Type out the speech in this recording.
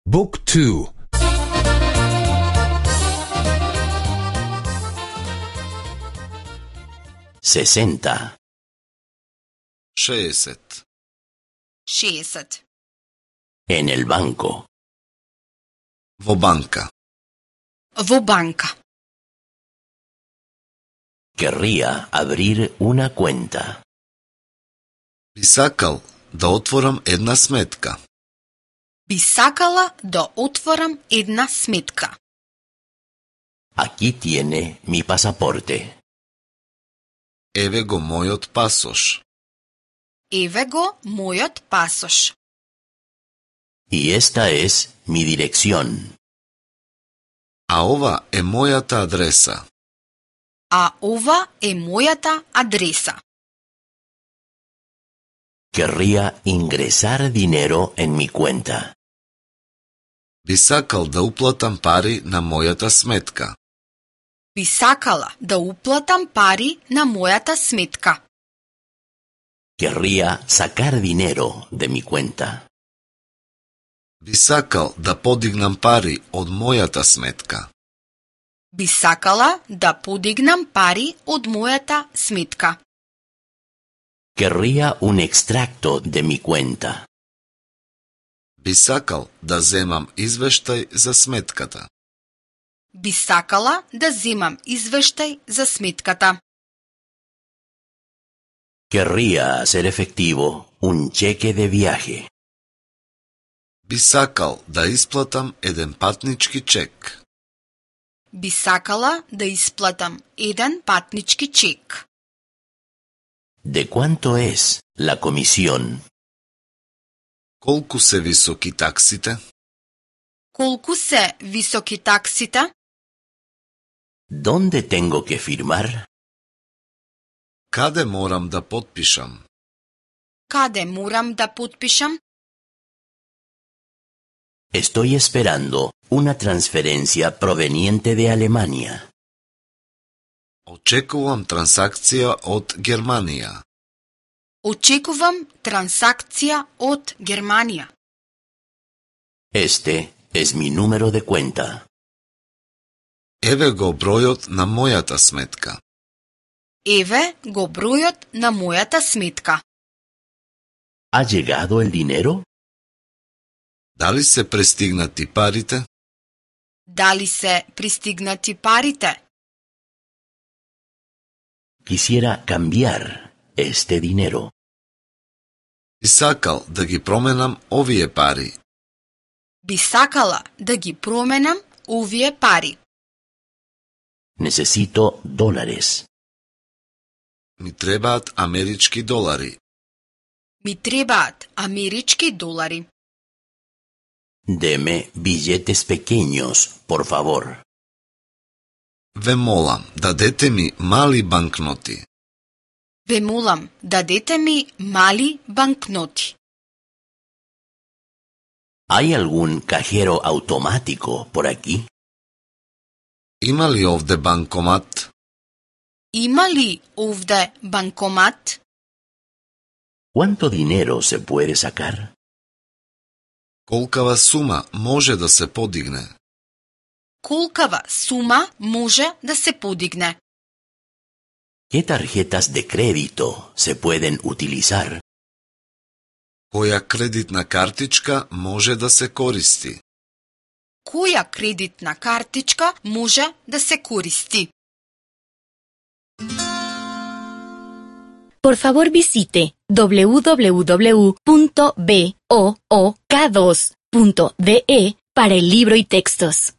Book 2. 60. 60. 60. En el banco. Во банка. Во банка. Querría abrir una cuenta. Би сакал да отворам една сметка. Би сакала да отворам една сметка. Aquí tiene mi pasaporte. Еве го мојот пасош. Еве го мојот пасош. Y esta es mi dirección. А ова е мојата адреса. А ова е мојата адреса. Querría ingresar dinero en mi cuenta. Би сакал да уплатам пари на мојата сметка. Би сакала да уплатам пари на мојата сметка. Querría sacar dinero de mi cuenta. Би сакал да подигнам пари од мојата сметка. Би сакала да подигнам пари од мојата сметка. Querría un extracto de mi cuenta. Би сакал да земам извештај за сметката. Би сакала да земам извештај за сметката. Querría hacer efectivo un cheque de viaje. Би сакал да исплатам еден патнички чек. Би сакала да исплатам еден патнички чек. ¿De cuánto es la comisión? Колку се високи таксите? Колку се високи таксите? ¿Dónde tengo que firmar? Каде морам да потпишам? Каде морам да потпишам? Estoy esperando una transferencia proveniente de Alemania. Очекувам трансакција од Германија. Очекувам трансакција од Германија. Este es mi número de cuenta. Еве го бројот на мојата сметка. Еве го бројот на мојата сметка. ¿Ha llegado el dinero? Дали се пристигнати парите? Дали се пристигнати парите? Quisiera cambiar este dinero. Би сакал да ги променам овие пари. Би сакала да ги променам овие пари. Necesito dólares. Ми требаат амерички долари. Ми требаат амерички долари. Deme billetes pequeños, por favor. Ве молам, дадете ми мали банкноти. Ве молам, дадете ми мали банкноти. ¿Hay algún cajero automático por aquí? Има ли овде банкомат? Има ли овде банкомат? ¿Cuánto dinero se puede sacar? Колкава сума може да се подигне? Колкава сума може да се подигне? ¿Qué tarjetas de crédito se pueden utilizar? Која кредитна картичка може да се користи? Која кредитна картичка може да се користи? Por favor visite www.book2.de para el libro y textos.